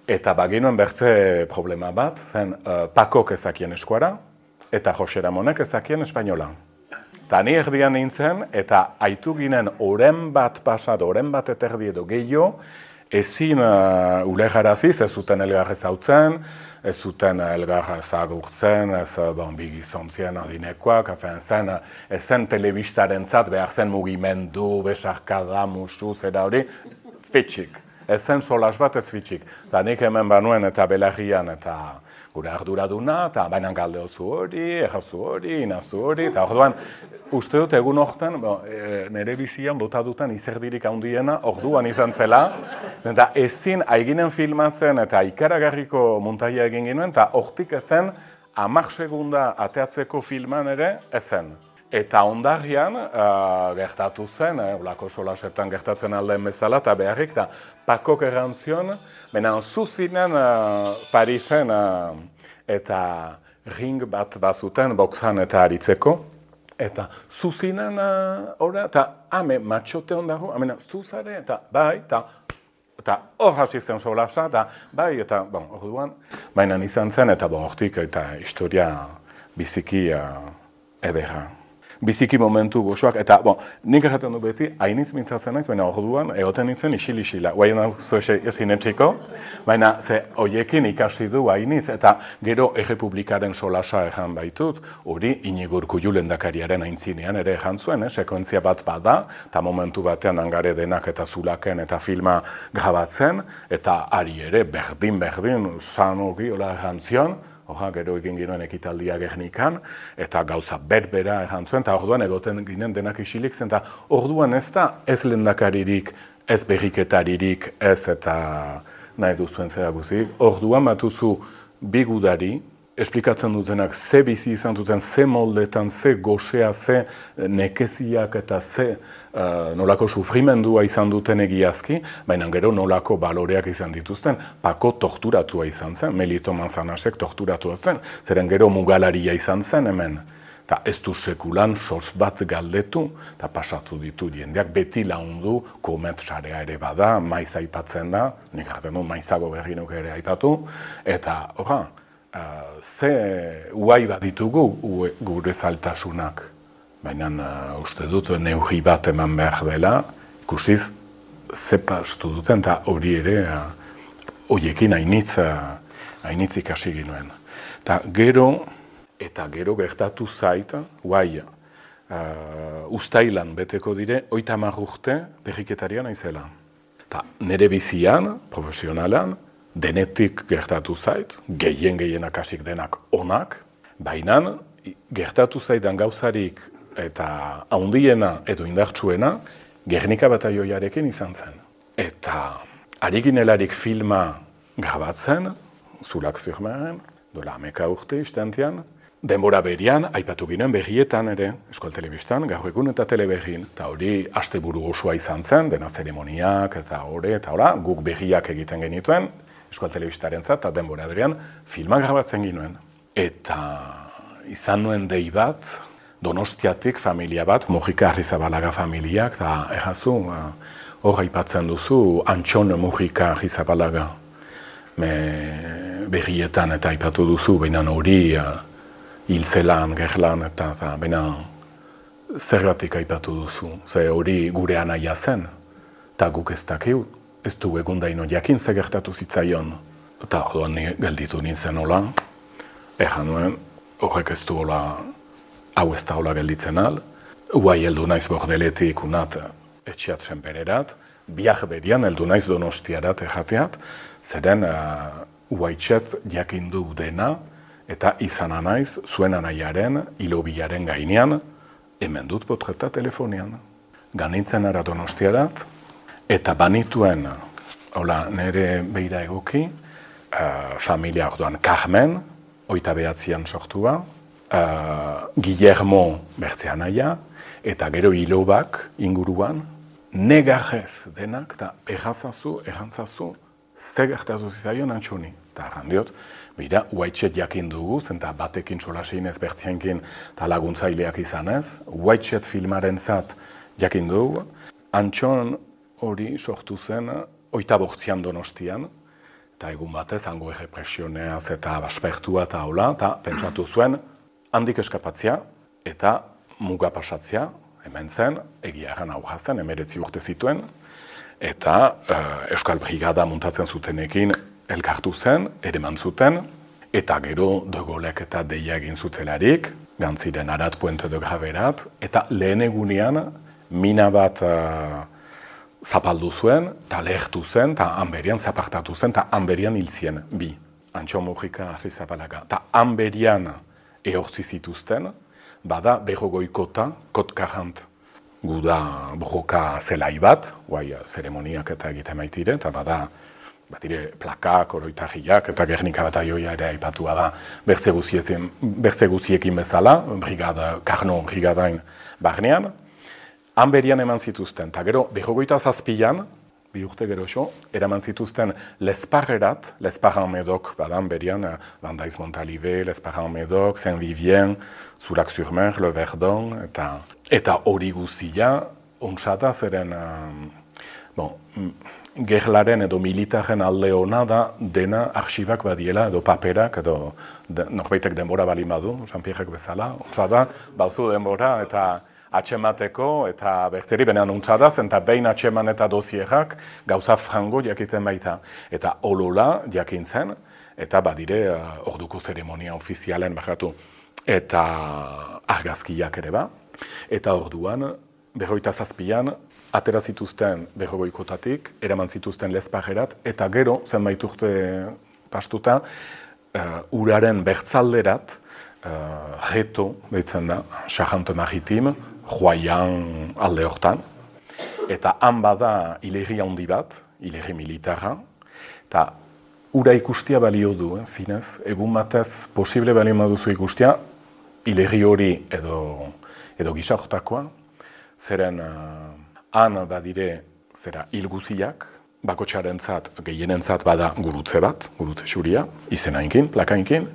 Eta baginuen bertze problema bat, zen Pakok ezakien eskuara, eta Jose Ramonek ezakien espainola. Eta ni erdian nintzen, eta aitu ginen oren bat pasat, oren bat eterdi edo gehiago, ezin ulegaraziz, ez zuten elgar ezautzen, ez zuten elgar ezagurtzen, ez bigizontzien adinekoak, ez zen telebistaren zat, behar zen mugimendu, besarkada, musu, zera hori, fitxik. Ez zen solas bat ez fitxik. Eta nik hemen banuen eta belarrian eta gure arduraduna, eta bainan galdeozu hori, errazu hori, inazu hori, eta orduan, uste dut egun hortan, nire bizian bota dutan izerdirik handiena, orduan izan zela, eta ezin aiginen filmatzen eta ikaragarriko muntaia egin ginuen, eta hortik ezen 10 segunda ateatzeko filman ere ezen. Eta ondarrian gertatu zen, olako solasetan gertatzen aldeen bezala, eta beharrik, eta Pakok errantzion, baina zuzinen Parisen eta ring bat bazuten, boxan eta aritzeko, eta zuzinen eta matxote ondago, zuzare, eta bai, eta hor hasi zen solasa, eta bai, eta orduan, baina izan zen, eta hortik, eta historia biziki edera. Biziki momentu gozoak, eta nik erraten du beti, hainitz mintzatzen naiz, baina orduan egoten nintzen isil-isila. Guaien hau ezin etxiko, baina hoiekin ikasi du hainitz, eta gero Errepublikaren solasa erran baitut, hori Inigo Urkullu lehendakariaren aintzinean ere erran zuen, sekuentzia bat bada, eta momentu batean hangare denak eta zulaken eta filma grabatzen, eta ari ere berdin, sanogi hola erran zion, gero egin ginoen ekitaldia Gernikan, eta gauza berbera erran zuen, eta orduan egoten ginen denak isilik zen, eta orduan ez da ez lehendakaririk, ez berriketaririk, ez eta nahi duzuen zera guzik. Orduan batuzu bi gudari, esplikatzen dutenak ze bizi izan duten, ze moldetan, ze gozea, ze nekeziak eta ze nolako sufrimendua izan duten egiazki, baina gero nolako baloreak izan dituzten, Pako torturatua izan zen, Melito Manzanasek torturatua zen, zeren gero mugalaria izan zen hemen. Eta ez du sekulan sos bat galdetu, eta pasatu ditu jendeak beti laundu, komet sarea ere bada, maiz aipatzen da, nik jaten du maizago berri nuke ere aipatu, eta ze uai bat ditugu gure zailtasunak. Baina uste dut neurri bat eman behar dela, ikusiz ze pastu duten, eta hori ere horiekin hainitz ikasi ginuen. Eta gero gertatu zait, ustailan beteko dire, 30 urte berriketarian naizela. Eta nire bizian, profesionalan, denetik gertatu zait, gehienak hasik denak onak, baina gertatu zaidan gauzarik eta handiena edo indartsuena Gernika Bataioiarekin izan zen. Eta ari ginelarik filma grabatzen, Zulak Zurmaren, dola 11 urte istantean. Denbora berian, aipatu ginen berrietan ere, Euskal Telebistan, gaur egun eta teleberrin. Eta hori asteburu osoa izan zen, dena zeremoniak eta guk berriak egiten genituen, Euskal Telebistarentzat, eta denbora berian filmak grabatzen ginuen. Eta izan nuen dei bat, Donostiatik familia bat, Mujika Arrizabalaga familiak, eta errazu, hor aipatzen duzu, Antxon Mujika Arrizabalaga. Berrietan eta aipatu duzu, baina hori hilzelan, gerlan, eta baina zergatik aipatu duzu. Ze hori gure anaia zen, eta guk ez dakiu, ez du egundaino jakin ze gertatu zitzaion. Eta orduan gelditu nintzen hola, erran nuen, horrek ez du hola, hau ez da hola gelditzen al. Uai heldu naiz Bordeletik unat etxeat senpererat, biak berian heldu naiz Donostiarat errateat, zeren uaitxet jakindu dena, eta izan naiz zuen anaiaren, hilobiaren gainean, hemen dut potreta telefonian. Ganintzen ara Donostiarat, eta banituen, hola, nire beira egoki, familia orduan Carmen, 29an sortua, Guillermo bertzea anaia, eta gero hilobak inguruan, negarrez denak, eta errantzazu, ze gertatu zizaion Antxoni. Eta errandiot, bera, uaitxet jakin dugu, zenta batekin solasein ez bertzienkin eta laguntzaileak izanez, uaitxet filmaren zat jakin dugu, Antxon hori sortu zen 28an Donostian, eta egun batez, hango errepresioneaz eta baspertua eta hola, eta pentsatu zuen, handik eskapatzea eta muga pasatzea, hemen zen, egia erran aurra zen, 19 urte zituen, eta Euskal Brigada muntatzen zutenekin elkartu zen, ereman zuten, eta gero De Gaulek eta deia egin zutelarik, gantziren Arat Puente de Graverat, eta lehen egunean mina bat zapaldu zuen, eta lehertu zen, eta hanberian zapartatu zen, eta hanberian hil zien, bi. Antxon Mujika Arrizabalaga. Eta hanberian ehortzi zituzten, bada berrogoikota, kotkarant, guda borroka zelai bat, guai zeremoniak eta egiten maitire, eta bada plakak, oroitarriak eta Gernika bataioia ere aipatua da bertze guziekin bezala, Karno brigadain barnean. Hanberian eman zituzten, eta gero 27an, 2 urte gero eraman zituzten Lesparrerat, Lesparran-Médoc, badan berian, Landaiz Montalivet, Lesparran-Médoc, Saint-Vivien, Zurac-sur-Mer, Le Verdon, eta hori guzia, ontsata zeren, gerlaren edo militaren alde hona da dena arxibak badiela edo paperak edo norbaitek denbora bali badu, Jean-Pierrek bezala, ontsata, bauzu denbora eta atxemateko eta berteri benean untsadaz, eta behin atxeman eta dosierak gauza frango jakiten baita. Eta olola jakintzen, eta badire orduko zeremonia ofizialen bakatu, eta argazkiak ere ba. Eta orduan, 27an, atera zituzten berrogoikotatik, eraman zituzten Lesparrerat, eta gero, zenbait urte pastuta, uraren bertzalderat, Reto, deitzen da, Charente Maritime, Joaian alde hortan, eta han bada hilerri handi bat, hilerri militarra, eta ura ikustia balio du, zinez, egun batez posible balio maduzu ikustia, hilerri hori edo gisa hortakoa, zeren han badire zera hilguziak, bakotxarentzat, gehienentzat bada gurutze bat, gurutze xuria, izenainkin, plakainkin,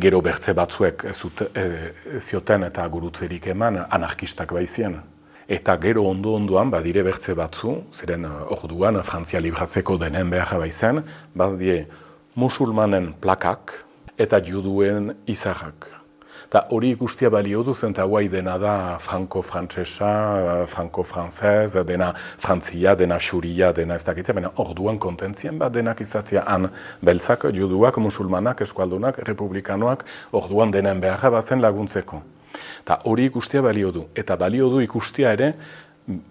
gero bertze batzuek zioten eta gurutzerik eman anarkistak baizien. Eta gero ondoan badire bertze batzu, zeren orduan Frantzia libratzeko denen beharra baizen, badie musulmanen plakak eta juduen izarrak. Eta hori ikustia balio du zen, eta guai dena da franko-frantzesa, franko-frantzez, dena frantzia, dena xuria, dena ez dakitzea, baina orduan kontentzien bat denak izatea han beltzak, juduak, musulmanak, eskualdunak, republikanoak, orduan denen beharra bazen laguntzeko. Eta hori ikustia balio du. Eta balio du ikustia ere,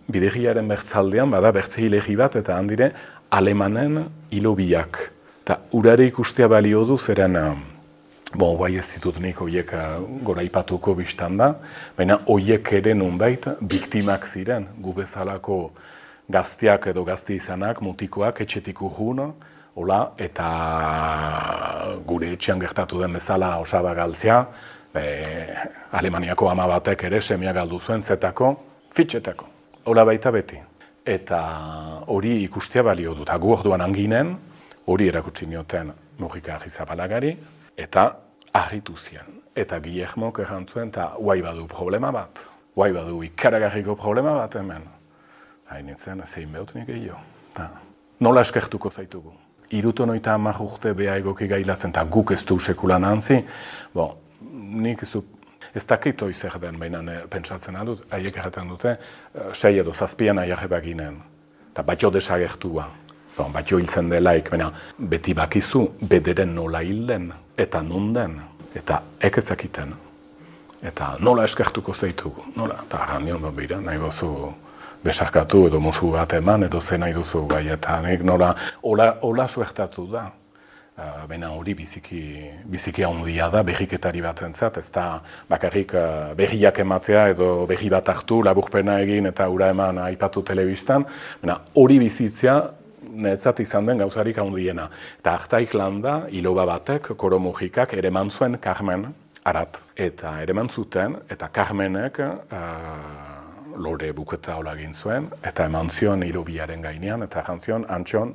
bidegiaren bertzaldean, bada bertze hilegi bat, eta handire, alemanen hilobiak. Eta urare ikustia balio du zeren, guai ez ditut nik horiek goraipatuko biztan da, baina horiek ere nunbait biktimak ziren, gu bezalako gazteak edo gazte izanak, mutikoak, etxetik urrun, Hola, eta gure etxean gertatu den bezala osaba galtzea, Alemaniako ama batek ere semia galdu zuen zetako, fitxetako. Hola baita beti. Eta hori ikustea balio dut. Gu orduan anginen, hori erakutsi nioten Mujika Arrizabalagari, eta harritu zien. Eta Guillermok errantzuen, eta guai badu problema bat. Guai badu ikaragarriko problema bat hemen. Hainitzen, zein behut nik gehiago. Nola eskertuko zaitugu? 70 urte beha egoki gailazen, eta guk ez du sekulan antzi, nik ez dakit hoi zer den, baina pentsatzen adut, haiek erraten dute, 6 edo 7 aiarre baginen, eta batio desagertua, batio hiltzen delaik, baina beti bakizu, bederen nola hilden, eta non den, eta ekezakiten, eta nola eskertuko zaitugu, nola, eta arrandion, bera, nahi gozu, besarkatu edo musu bat eman, edo zen nahi duzu gai, eta nik nola, hola suertatu da. Baina hori biziki handia da, berriketari bat entzat, ez da bakarrik berriak ematea edo berri bat hartu, laburpena egin eta ura eman aipatu telebistan, baina hori bizitzea netzat izan den gauzarik handiena. Eta hartaik landa, iloba batek, Koro Mujikak, ere eman zuen Carmen Arat. Eta ere eman zuten, eta Carmenek lore buketa hola egin zuen, eta eman zion ilobiaren gainean, eta jantzion, antxon,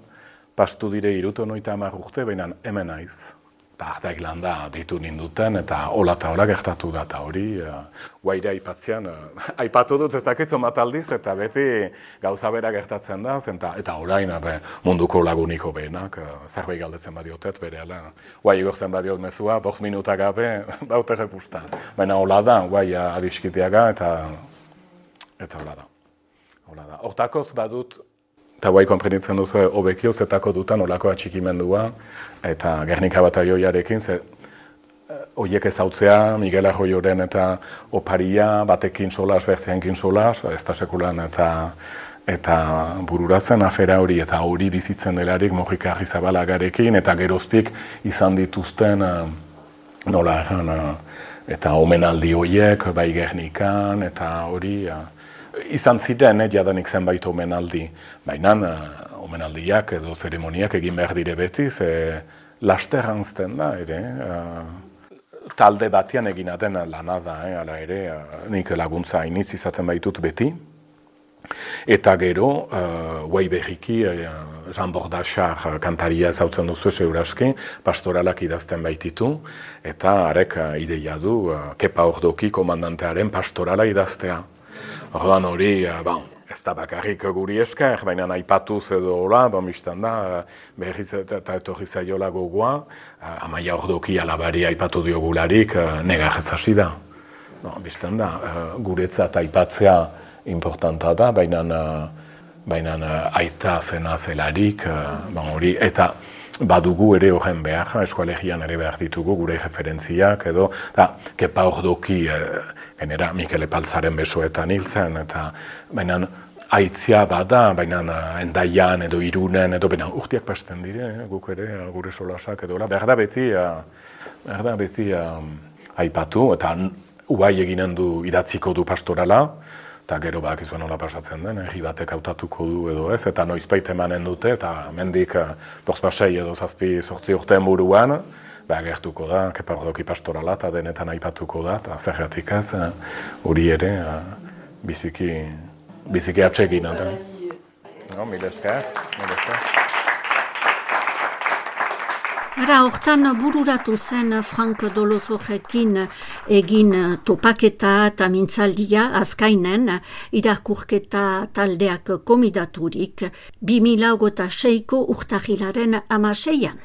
pastu dire 70 urte, baina hemen naiz. Hartaik landa ditu ninduten, eta hola eta hola gertatu da, eta hori, guaire aipatzean, aipatu dut ez dakitzu mataldiz, eta beti gauza bera gertatzen da, eta orain munduko laguniko behenak, zerbait galdetzen badiotet, berehala, guai igortzen badiot mezua, 5 minutak gabe, baute repustan. Baina hola da, guai adiskiteaga, eta hola da. Hortakoz badut, eta guai konprenitzen duzu hobekio zetako dutan olako atxikimendua eta Gernika Batalioiarekin, horiek ezautzea, Miguel Arroyoren eta oparia, batekin solas, bertzeankin solas, ez da sekulan eta bururatzen afera hori, eta hori bizitzen delarik Mujika Arrizabalagarekin, eta geroztik izan dituzten nola erran, eta omenaldi horiek, bai Gernikan, eta hori, izan ziren, jadanik zenbait omenaldi, baina omenaldiak edo zeremoniak egin behar dire beti, laster hanzten da, ere, talde batean egina den lana da, ala ere, nik laguntza iniz izaten baitut beti, eta gero, guai berriki, Jean Bordachar kantaria ezautzen duzu seuraski, pastoralak idazten baititu, eta arek ideia du, Kepa Ordoki komandantearen pastorala idaztea. Orduan hori, ez da bakarrik guri esker, baina aipatuz edo hola, biztan da, berriz eta etorri zaiola gogoa, Amaia Ordoki alabari aipatu diogularik, negarrez hasi da. Biztan da, guretzat aipatzea importanta da, baina aita zena zelarik, hori, eta badugu ere horren behar, eskualegian ere behar ditugu gure referentziak edo, eta Kepa Ordoki, gainera Mikel Epaltzaren besoetan hil zen, eta baina aitzia bada, baina Endaian edo Irunen edo baina urtiak pasten dire, guk ere, gure solasak edo, behar da beti aipatu, eta uai eginen du idatziko du pastorala, eta gero bakizuen nola pasatzen den, herri batek hautatuko du edo ez, eta noizbait emanen dute, eta mendik 5-6 edo 7-8 urteen buruan, gertuko da, Kepa Ordoki pastorala, eta denetan aipatuko da, eta zergatik ez, hori ere, biziki atsegin. Mil esker. Ara, hortan bururatu zen Frank Dolozorekin egin topaketa eta mintzaldia azkainen irakurketa taldeak komidaturik 2006ko urtahilaren 16an.